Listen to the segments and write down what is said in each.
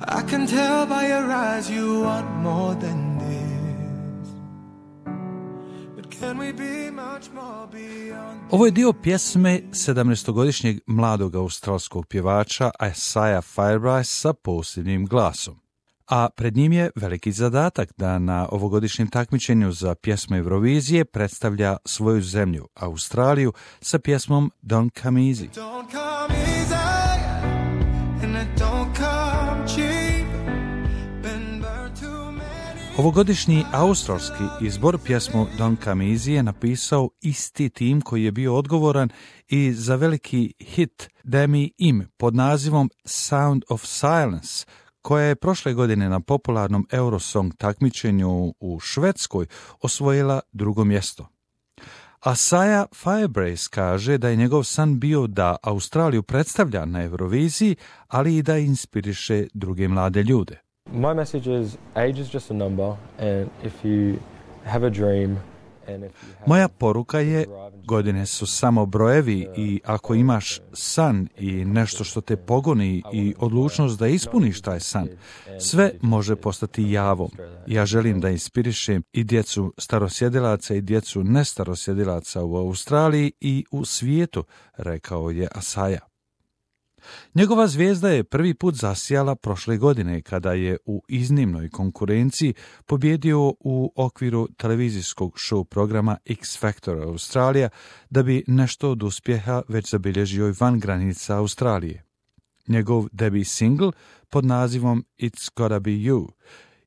I can tell by your eyes you want more than this. But can we be much more beyond? Ovo je dio pjesme 17-godišnjeg mladog australskog pjevača Isaiah Firebrace sa posebnim glasom. A pred njim je veliki zadatak da na ovogodišnjem takmičenju za pjesmu Eurovizije predstavlja svoju zemlju, Australiju, sa pjesmom Don't Come Easy. Don't come easy, and it don't come cheap. Been burned too many. Ovogodišnji australski izbor pjesmu Don't Come Easy je napisao isti tim koji je bio odgovoran i za veliki hit Demi Im pod nazivom Sound of Silence, koja je prošle godine na popularnom Eurosong takmičenju u Švedskoj osvojila drugo mjesto. Isaiah Firebrace kaže da je njegov san bio da Australiju predstavlja na Euroviziji, ali i da inspiriše druge mlade ljude. My message is age is just a number, and if you have a dream and if you have Moja poruka je, godine su samo brojevi i ako imaš san i nešto što te pogoni i odlučnost da ispuniš taj san, sve može postati javom. Ja želim da inspirišem i djecu starosjedilaca i djecu nestarosjedilaca u Australiji i u svijetu, rekao je Isaiah. Njegova zvijezda je prvi put zasijala prošle godine kada je u iznimnoj konkurenciji pobjedio u okviru televizijskog show programa X Factor Australija, da bi nešto od uspjeha već zabilježio i van granica Australije. Njegov debut single pod nazivom It's Gotta Be You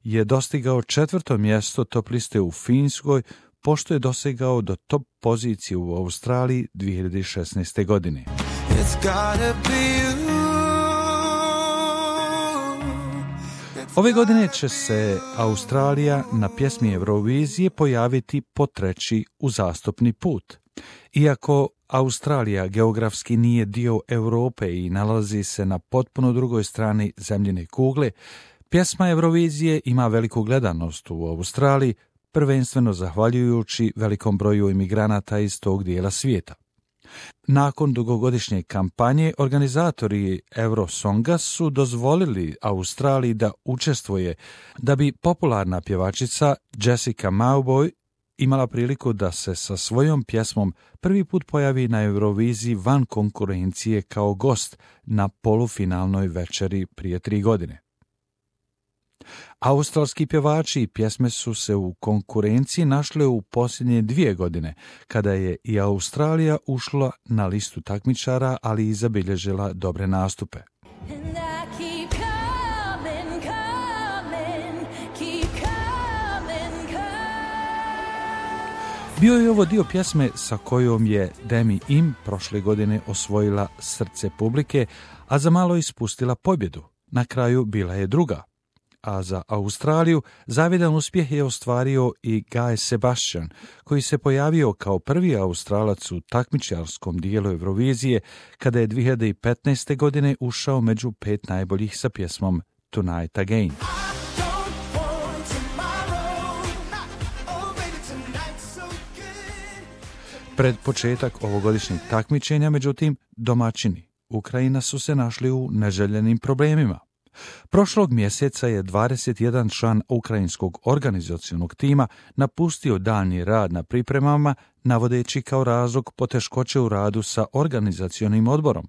je dostigao 4. mjesto top liste u Finskoj, pošto je dosegao do top pozicije u Australiji 2016. godine. It's gotta be you. Ove godine će se Australija na pjesmi Eurovizije pojaviti po treći uzastopni put. Iako Australija geografski nije dio Europe i nalazi se na potpuno drugoj strani zemljine kugle, pjesma Eurovizije ima veliku gledanost u Australiji, prvenstveno zahvaljujući velikom broju imigranata iz tog dijela svijeta. Nakon dugogodišnje kampanje, organizatori Eurosonga su dozvolili Australiji da učestvuje, da bi popularna pjevačica Jessica Mauboy imala priliku da se sa svojom pjesmom prvi put pojavi na Euroviziji van konkurencije kao gost na polufinalnoj večeri prije 3 godine. Australski pjevači i pjesme su se u konkurenciji našle u posljednje 2 godine, kada je i Australija ušla na listu takmičara, ali i zabilježila dobre nastupe. Bio je ovo dio pjesme sa kojom je Demi Im prošle godine osvojila srce publike, a za malo ispustila pobjedu. Na kraju bila je druga. A za Australiju zavidan uspjeh je ostvario i Guy Sebastian, koji se pojavio kao prvi Australac u takmičarskom dijelu Eurovizije, kada je 2015. godine ušao među 5 najboljih sa pjesmom Tonight Again. Pred početak ovogodišnjeg takmičenja, međutim, domaćini Ukrajina su se našli u neželjenim problemima. Prošlog mjeseca je 21 član ukrajinskog organizacionog tima napustio daljnji rad na pripremama, navodeći kao razlog poteškoće u radu sa organizacionim odborom.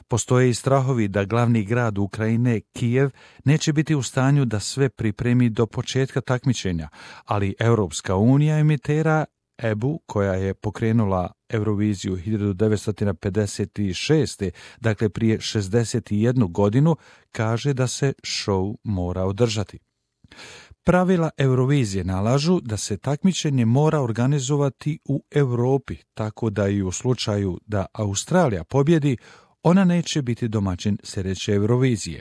Postoje i strahovi da glavni grad Ukrajine, Kijev, neće biti u stanju da sve pripremi do početka takmičenja, ali Europska unija emitera EBU, koja je pokrenula Euroviziju 1956. dakle prije 61 godinu, kaže da se show mora održati. Pravila Eurovizije nalažu da se takmičenje mora organizovati u Europi, tako da i u slučaju da Australija pobjedi, ona neće biti domaćin sljedeće Eurovizije.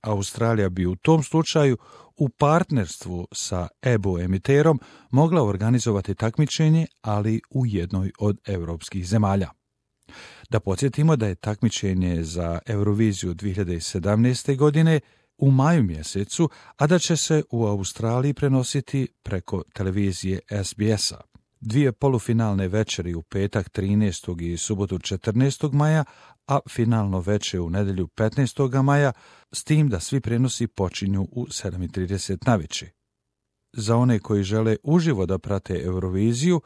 Australija bi u tom slučaju u partnerstvu sa EBU emiterom mogla organizovati takmičenje, ali u jednoj od europskih zemalja. Da podsjetimo da je takmičenje za Euroviziju 2017. godine u maju mjesecu, a da će se u Australiji prenositi preko televizije SBS-a. 2 polufinalne večeri u petak 13. i subotu 14. maja, a finalno veče u nedjelju 15. maja, s tim da svi prenosi počinju u 7:30 navečer. Za one koji žele uživo da prate Euroviziju,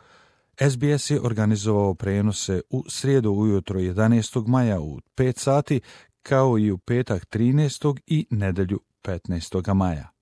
SBS je organizovao prenose u srijedu ujutro 11. maja u 5 sati, kao i u petak 13. i nedjelju 15. maja.